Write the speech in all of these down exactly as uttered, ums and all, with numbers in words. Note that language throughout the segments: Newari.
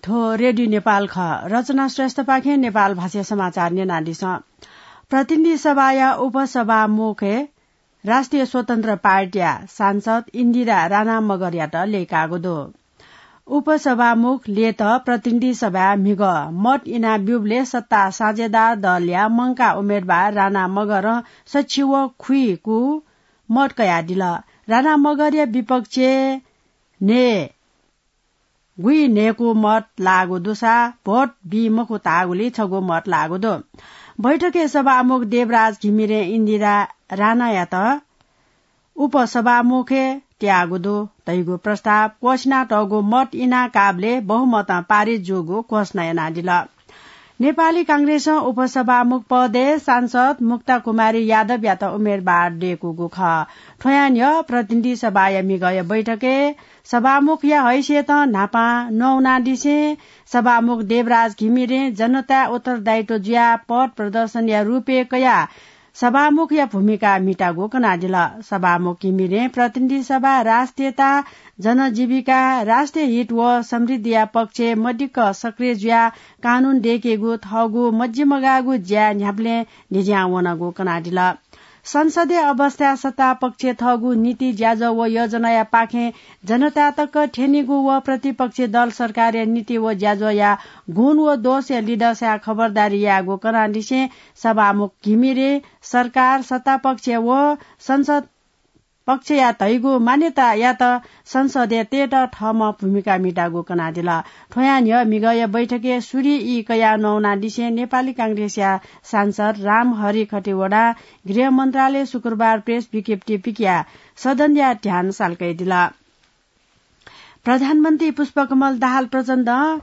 थ्व रेडियो नेपाल खः। रचना श्रेष्ठपाखें नेपाल भाषा समाचार न्यनादिसँ। प्रतिनिधि सभाया उपसभामुखय् राष्ट्रिय स्वतन्त्र पार्टीया सांसद इन्दिरा राणा मगरयात लय्काःगु दु। उपसभामुख ल्ययेत प्रतिनिधि सभाय् म्हिगः मत इना ब्यूबलय् सत्ता साझेदार दलया मंकाः उम्मेदवार राणा मगरं सछि व खुइकू मत कयादिल। राणा मगरया विपक्षय् न्हय् गुइन्हय्कू मत लाःगु दुसा भोट बी मखु धाःगुलिं छगू मत लाःगु दु। बैठकय् सभामुख देवराज घिमिरें इन्दिरा राणायात उपसभामुखय् त्याःगु दु धइगु प्रस्ताव क्वसिनातःगु मत इना काःबलय् बहुमतं पारित जूगु घोषणा यानादिल। नेपाली कांग्रेसं उपसभामुख पदय् सांसद मुक्ता कुमारी यादवयात उम्मेदवार दय्कूगु खः। थ्वयां न्ह्यः प्रतिनिधि सभाया म्हिगःया बैठकय् सभामुखया हैसियतं न्हापां नवानादिसें सभामुख देवराज घिमिरें जनताया उत्तरदायित्व जुयाः पथ प्रदर्शनया रूपय् कयाः सभामुखया भूमिका म्हितागु कनादिल। सभामुख घिमिरें प्रतिनिधि सभा राष्ट्रियता, जनजीविका, राष्ट्रिय हित व समृद्धिया पक्षय् मदिक्क सक्रिय जुयाः कानून दय्केगु थःगु मजिमगाःगु ज्या न्ह्याबलें न्ह्यज्यां वनागु कनादिल। संसदीय अवस्थाय् सत्ता पक्षय् थःगु नीति, ज्याझ्वः व योजनाया पाखें जनता तक थ्यनीगु व प्रतिपक्षी दल सरकारया नीति व ज्याझ्वःया गुण व दोषया लिधःसाय् खबरदारी यायेगु कनादिसें सभामुख घिमिरे सरकार, सत्ता पक्ष व संसद पक्षया धइगु मान्यतायात संसदय् तयेत थःम्हं भूमिका म्हिताःगु कनादिल। थ्वयां न्ह्यः म्हिगःया बैठकय् सूर्य ई कयाः नवानादिसें नेपाली कांग्रेसया सांसद रामहरि खतिवडां गृह मन्त्रालयय् शुक्रबार प्रेस विज्ञप्ति पिकयाः सदनया ध्यान सालकयादिल। प्रधानमन्त्री पुष्पकमल दाहाल प्रचण्डं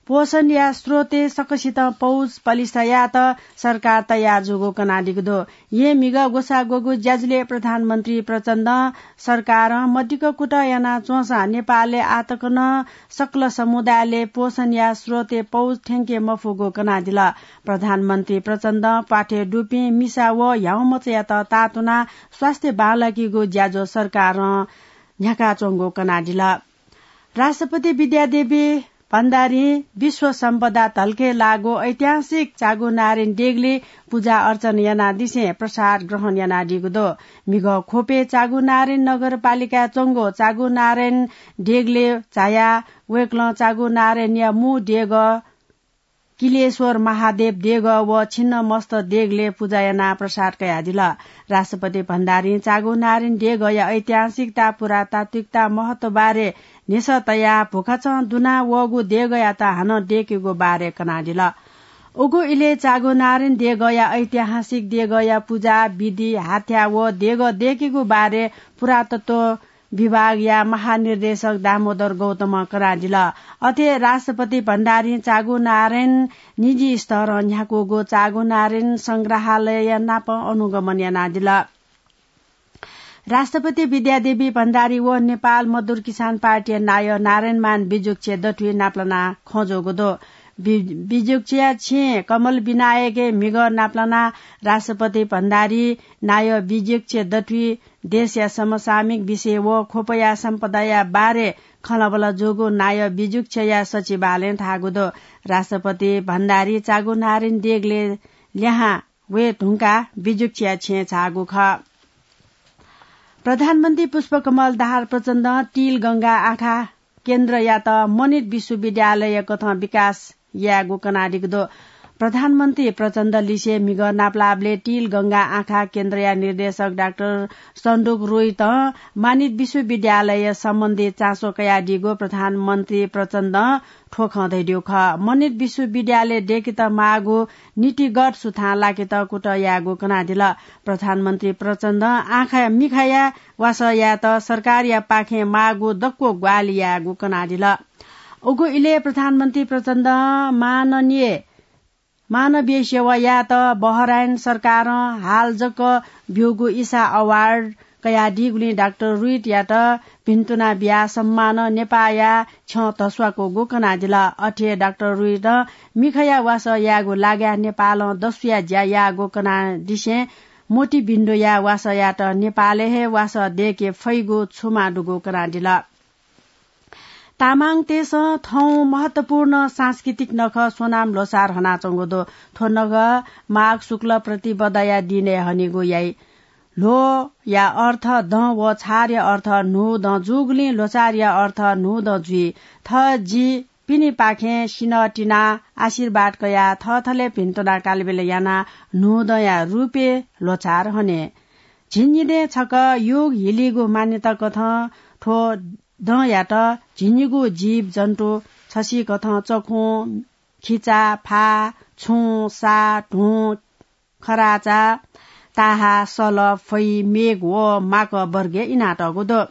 पोषणया स्रोतय् सकसितं पौज पलिस्था यायेत सरकार तयार जूगु कनादीगु दु। येँ म्हिगः ग्वसाः ग्वःगु ज्याझ्वलय् प्रधानमन्त्री प्रचण्डं सरकारं मदिक्क कुतः यानाच्वंसां नेपालय् आःतक नं सकल समुदायलय् पोषणया स्रोतय् पौज थ्यंके मफुगु कनादिल। प्रधानमन्त्री प्रचण्डं प्वाथय् दुपिं मिसा व ह्याउँमचायात ताःतुनाः स्वास्थ्य बांलाकीगु ज्याझ्वः सरकारं न्ह्याकाच्वंगु कनादिल। राष्ट्रपति विद्यादेवी भण्डारीं विश्व सम्पदा धलखय् लाःगु ऐतिहासिक चागुनारायण देगलय् पुजा अर्चना यानादिसें प्रसाद ग्रहण यानादीगु दु। म्हिगः ख्वपय् चागुनारायण नगरपालिकाय् च्वंगु चागुनारायण देगलय् झायाः वय्कलं चागुनारायणया मू देगः किलेश्वर महादेव देगः व छिन्नमस्त देगलय् पुजा यानाः प्रसाद कयादिल। राष्ट्रपति भण्डारीं चागुनारायण देगःया ऐतिहासिकता, पुरातात्विकता, महत्व बारे न्ह्यसः तयाः भुखाचं दुना वःगु देगःयात हानं दय्केगु बारे कनादिल। उगु इलय् चागुनारायण देगःया ऐतिहासिक देगःया पुजा विधि, हाथ्या व देगः दय्केगु बारे पुरातत्व विभागया महानिर्देशक दामोदर गौतमं कनादिल। अथे राष्ट्रपति भण्डारीं चागुनारायण निजी स्तरं न्ह्याकूगु चागुनारायण संग्रहालय नाप अनुगमन यानादिल। राष्ट्रपति विद्यादेवी भण्डारी व नेपाल मजदुर किसान पार्टीया नायः नारायणमान बिजुक्छे दथुइ नापलानाः खँ ज्वःगु दु। बि-, बिजुक्छेया छेँय् कमल विनायकय् म्हिगः नापलानाः राष्ट्रपति भण्डारी, नायः बिजुक्छे दथुइ देशया समसामयिक विषय व ख्वपया सम्पदाया बारे खँल्हाबल्हा जूगु नायः बिजुक्छेया सचिवालयं धाःगु दु। राष्ट्रपति भण्डारी चागुनारायण देगलय् लिहां वये धुंकाः बिजुक्छेया छेँय् झाःगु खः। प्रधानमन्त्री पुष्पकमल दाहाल प्रचण्डं तिलगंगा आँखा केन्द्रयात मनित विश्वविद्यालय कथं विकास यायेगु कनादीगु दु। प्रधानमन्त्री प्रचण्ड लिसे म्हिगः नापलाःबलय् तिलगंगा आँखा केन्द्रया निर्देशक डाक्टर सन्दुक रोहितं मनित विश्वविद्यालय सम्बन्धी चासो कयादीगु प्रधानमन्त्री प्रचण्डं थ्व खँ धयादीगु खः। मनित विश्वविद्यालय दय्केत माःगु नीतिगत सुथां लाकेत कुतः यायेगु कनादिल। प्रधानमन्त्री प्रचण्डं आँखा मिखाया वासः यायेत सरकारया पाखें माःगु दक्व ग्वाहालि यायेगु कनादिल। उगु इलय् प्रधानमन्त्री प्रचण्डं माननीय मानवीय सेवा यायेत बहराइन सरकारं हाल जक ब्यूगु ईसा अवार्ड कयादीगुलिं डाक्टर रुइटयात भिन्तुना बियाः सम्मानं नेपाःया छ्यं धस्वाकूगु कनादिल। अथे डाक्टर रुइटं मिखाया वासः यायेगु लागाय् नेपालं दसुया ज्या याःगु कनादिसें मोतीबिन्दुया वासःयात नेपालय् हे वासः दय्के फइगु छुमा दुगु कनादिल। तामाङतय्सं थौं महत्वपूर्ण सांस्कृतिक नखः सोनाम ल्होसार हनाच्वंगु दु। थ्व नखः माघ शुक्ल प्रतिपदाया दिनय् हनीगु याइ। ल्होया अर्थ दँ व छारया अर्थ न्हूदँ जूगुलिं ल्होसारया अर्थ न्हूदँ जुइ। थः जि पिनेपाखें सिन्हः तिनाः आशीर्वाद कयाः थःथलय् भिन्तुना कालबेला यानाः न्हूदँया रूपय् ल्होसार हने। झिंनिदँय् छकः योग हिलीगु मान्यता कथं थ्व दँयात झिंनिगू जीवजन्तु छसिकथं चखुं, खिचा, फा, छुं, सा, धुं, खराचा, ताहा, सल, फै, मेघ व माकः वर्गय् इनातःगु दु।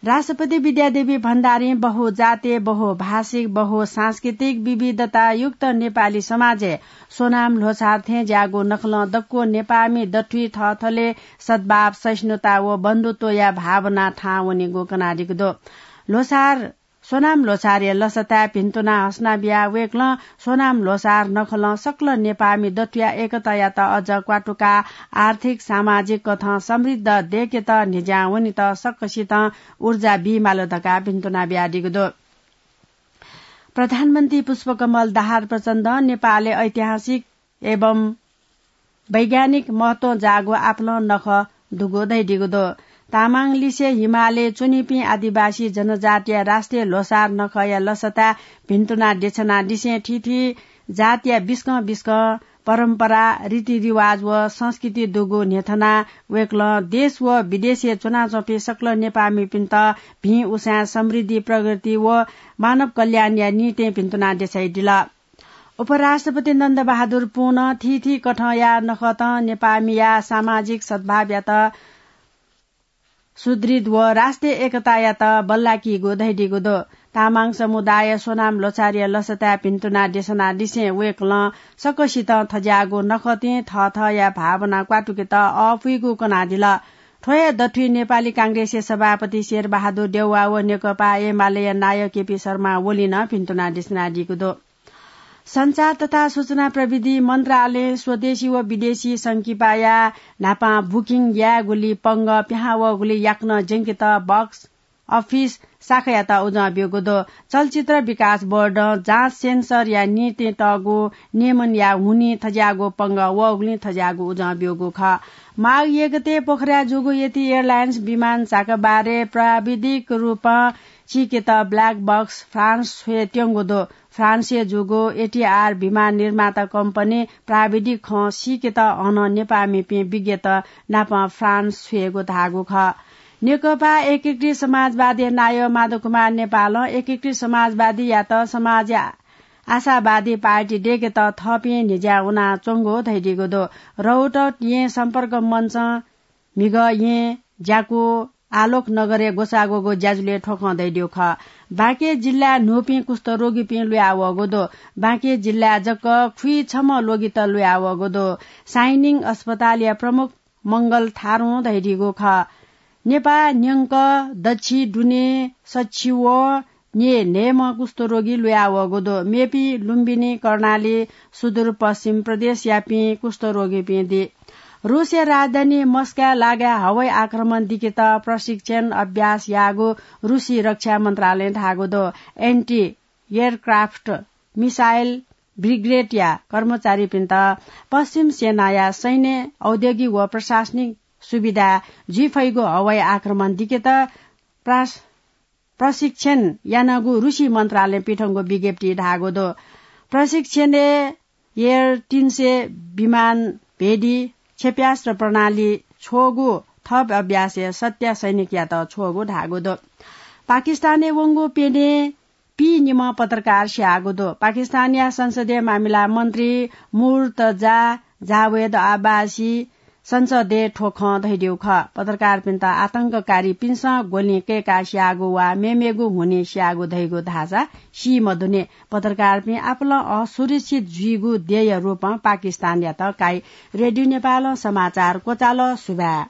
राष्ट्रपति विद्यादेवी भण्डारीं बहुजातीय, बहुभाषिक, बहुसांस्कृतिक विविधतायुक्त नेपाली समाजय् सोनाम ल्होसार थें ज्याःगु नखलं दक्व नेपाःमि दथुइ थःथलय् सद्भाव, सहिष्णुता व बन्धुत्वया भावना थाहां वनीगु कनादीगु दु। ल्होसार सोनाम ल्होसारया लसताय् भिन्तुना हसना बियाः वय्कलं सोनाम ल्होसार नखलं सकल नेपाःमि दथुया एकतायात अझ क्वातुकाः आर्थिक, सामाजिक कथं समृद्ध दय्केत न्हिज्यां वनेत सकसितं ऊर्जा बीमाल धकाः भिन्तुना बियादीगु दु। प्रधानमन्त्री पुष्पकमल दाहाल प्रचण्डं नेपालय् ऐतिहासिक एवं वैज्ञानिक महत्वं जाःगु आपालं नखः दुगु धयादीगु दु। तामाङ लिसे हिमालय् च्वनीपिं आदिवासी जनजातिया राष्ट्रिय ल्होसार नखःया लसताय् भिन्तुना देछानादिसें थीथी जातिया बिस्कं बिस्कं परम्परा, रीतिरिवाज व संस्कृति दुगु न्ह्यथनाः वय्कलं देश व विदेशय् च्वनाच्वंपिं सकल नेपाःमिपिन्त भिं उसाँय् समृद्धि, प्रगति व मानव कल्याणया निंतिं भिन्तुना देछाइदिल। उपराष्ट्रपति नन्दबहादुर पुनं थीथी कथंया नखतं नेपाःमिया सामाजिक सद्भावयात सुदृढ व राष्ट्रिय एकतायात बल्लाकीगु धयादीगु दु। तामाङ समुदाय सोनाम ल्होसारया लसताय् भिन्तुना देछानादिसें वय्कलं सकसितं थज्याःगु नखतिं थःथःया भावना क्वातुकेत अःपुइगु कनादिल। थ्व हे दथुइ नेपाली कांग्रेसया सभापति शेरबहादुर देउवा व नेकपा एमालेया नायः केपी शर्मा ओलीं नं भिन्तुना देछानादीगु दु। सञ्चार तथा सूचना प्रविधि मन्त्रालयं स्वदेशी व विदेशी संकिपाया न्हापां बुकिङ यायेगुली पंगः पिहां वःगुली याकनं ज्यंकेत बक्स अफिस शाखायात उजं ब्यूगु दु। चलचित्र विकास बोर्डं जाँच सेन्सरया निंतिं तःगु नियमनया हुनिं थज्याःगु पंगः वःगुलिं थज्याःगु उजं ब्यूगु खः। माघ एक गते पोखराय् जूगु एटी एयरलाइन्स विमान झाकाबारय् प्राविधिक रूपं सीकेत ब्ल्याक बक्स फ्रान्स छ्वय् त्यंगु दु। फ्रान्सय् जूगु एटीआर विमान निर्माता कम्पनी प्राविधिक खँ सीकेत अन नेपाःमिपिं विज्ञत नाप फ्रान्स छ्वयेगु धाःगु खः। नेकपा एकीकृत समाजवादी नायः माधव कुमार नेपालं एकीकृत समाजवादीयात समाजया आशावादी पार्टी दय्केत थःपिं न्हिज्यां वनाच्वंगु धयादीगु दु। रौतहट येँ सम्पर्क मञ्चं म्हिगः येँ, ज्याकू, आलोक नगरय् ग्वसाः ग्वःगु ज्याझ्वलय् थ्व खँ धयादीगु खः। बाँके जिल्लाय् न्हूपिं कुष्ठरोगीपिं लुयावःगु दु। बाँके जिल्लाय् जक खुइ छम्ह लोगित लुयावःगु दु। साइनिङ अस्पतालया प्रमुख मंगल थारुं धयादीगु खः। नेपाः न्यंक दच्छि दुने सच्छि व न्ये न्हय्म्ह कुष्ठरोगी लुयावःगु दु। मेपिं लुम्बिनी, कर्णाली, सुदूरपश्चिम प्रदेशयापिं कुष्ठरोगीपिं दी। रूसया राजधानी मस्काय् लागाय् हवाई आक्रमण दिकेत प्रशिक्षण अभ्यास याःगु रूसी रक्षा मन्त्रालयं धाःगु दु। एन्टी एयरक्राफ्ट मिसाइल ब्रिगेडया कर्मचारीपिन्त पश्चिम सेनाया सैन्य, औद्योगिक व प्रशासनिक सुविधा जुइ फइगु हवाई आक्रमण दिकेत प्रास-, प्रशिक्षण यानागु रूसी मन्त्रालयं पिथंगु विज्ञप्तिइ धाःगु दु। प्रशिक्षणय् एयर तीन सय विमान भेदी क्षेप्यास्त्र प्रणाली छ्वःगु थप अभ्यासय् सत्या सैनिकयात छ्वःगु धाःगु दु। पाकिस्तानय् वंगु प्यन्हय् पीनिम्ह पत्रकार स्याःगु दु। पाकिस्तानया संसदीय मामिला मन्त्री मुर्तजा जावेद अब्बासी संसदय् थ्व खँ धयादीगु खः। पत्रकारपिन्त आतंककारीपिन्सं गोलिं कय्काः स्याःगु वा मेमेगु हुनिं स्याःगु धइगु धाःसा सी मदुनि। पत्रकारपिं आपालं असुरक्षित जुइगु देय्या रूपं पाकिस्तानयात काइ। रेडियो नेपालं समाचार क्वचाल। सुभाय्।